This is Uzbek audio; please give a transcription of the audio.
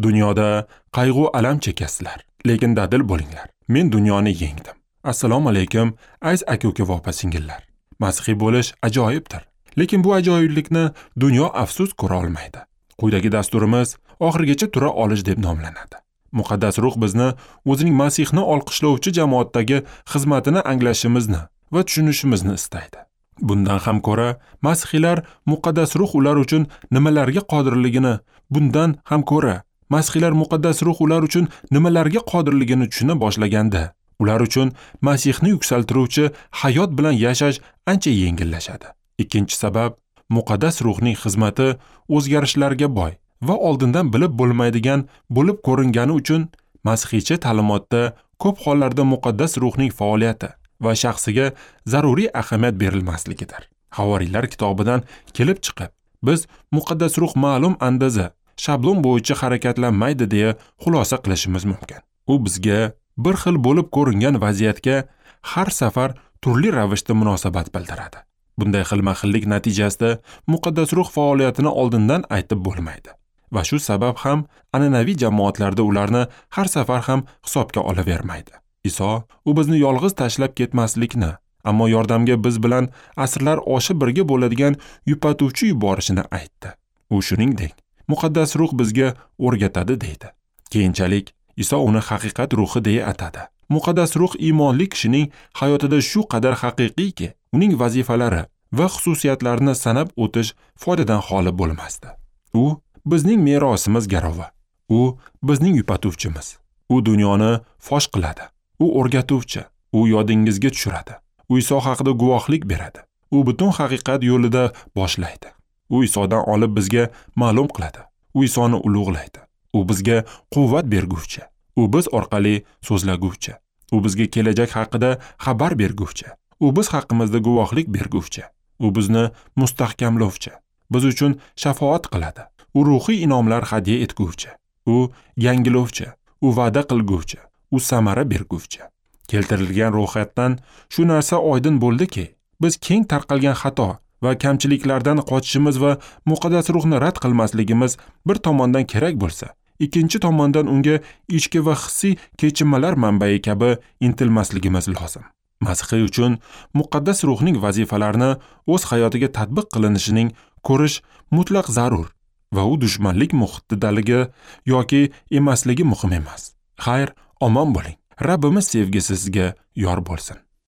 Dunyoda qayg'u alam chekasizlar, lekin dadil bo'linglar. Men dunyoni yengdim. Assalomu alaykum, aziz aka-uka va opa-singillar. Masihiy bo'lish ajoyibdir, lekin bu ajoyiblikni dunyo afsus ko'ra olmaydi. Quyidagi dasturimiz oxirigacha tura olish deb nomlanadi. Muqaddas ruh bizni o'zining Masihni olqishlovchi jamoatdagi xizmatini anglashimizni va tushunishimizni istaydi. Bundan ham ko'ra, masihiylar muqaddas ruh ular uchun nimalarga qodirligini, bundan ham ko'ra, masihiylar muqaddas ruh ular uchun nimalarga qodirligini tushuna boshlaganda, ular uchun Masihni yuksaltiruvchi hayot bilan yashash ancha yengillashadi. Ikkinchi sabab, muqaddas ruhning xizmati o'zgarishlarga boy va oldindan bilib bo'lmaydigan bo'lib ko'ringani uchun masihiycha ta'limotda ko'p hollarda muqaddas ruhning faoliyati va shaxsiga zaruriy ahamiyat berilmasligidir. Havoriylar kitobidan kelib chiqib, biz muqaddas ruh ma'lum andaza, shablon bo'yicha harakatlanmaydi deya xulosa qilishimiz mumkin. U bizga bir xil bo'lib ko'ringan vaziyatga har safar turli ravishda munosabat bildiradi. Bunday xilma-xillik natijasida muqaddas ruh faoliyatini oldindan aytib bo'lmaydi. Va shu sabab ham an'anaviy jamoatlarda ularni har safar ham hisobga olavermaydi. Iso u bizni yolg'iz tashlab ketmaslikni, ammo yordamga biz bilan asrlar oshib birga bo'ladigan yupatuvchi yuborishini aytdi. U shuningdek, muqaddas ruh bizga o'rgatadi deydi. Keyinchalik Iso uni haqiqat ruhi deya atadi. Muqaddas ruh iymonli kishining hayotida shu qadar haqiqiyki, uning vazifalari va xususiyatlarini sanab o'tish foydadan xoli bo'lmasdi. U bizning merosimiz garovi. U bizning yupatuvchimiz. U dunyoni fosh qiladi. U o'rgatuvchi. U yodingizga tushiradi. U Iso haqida guvohlik beradi. U butun haqiqat yo'lida boshlaydi. U Isodan olib bizga ma'lum qiladi. U Isoni ulug'laydi. U bizga quvvat berguvchi. U biz orqali so'zlaguvchi. U bizga kelajak haqida xabar berguvchi. U biz haqimizda guvohlik berguvchi. U bizni mustahkamlovchi. Biz uchun shafoat qiladi. U ruhiy inomlar hadya etguvchi. U yangilovchi. U va'da qilguvchi. U samara berguvchi. Keltirilgan ro'yxatdan shu narsa oydin bo'ldiki, biz keng tarqalgan xato va kamchiliklardan qochishimiz va muqaddas ruhni rad qilmasligimiz bir tomondan kerak bo'lsa, ikkinchi tomondan unga ichki va hissiy kechinmalar manbai kabi intilmasligimiz lozim. Masihiy uchun muqaddas ruhning vazifalarini o'z hayotiga tatbiq qilinishining ko'rish mutlaq zarur va u dushmanlik muhitidaligi yoki emasligi muhim emas. Xayr, omon bo'ling. Rabbimiz sevgisi sizga yor bo'lsin.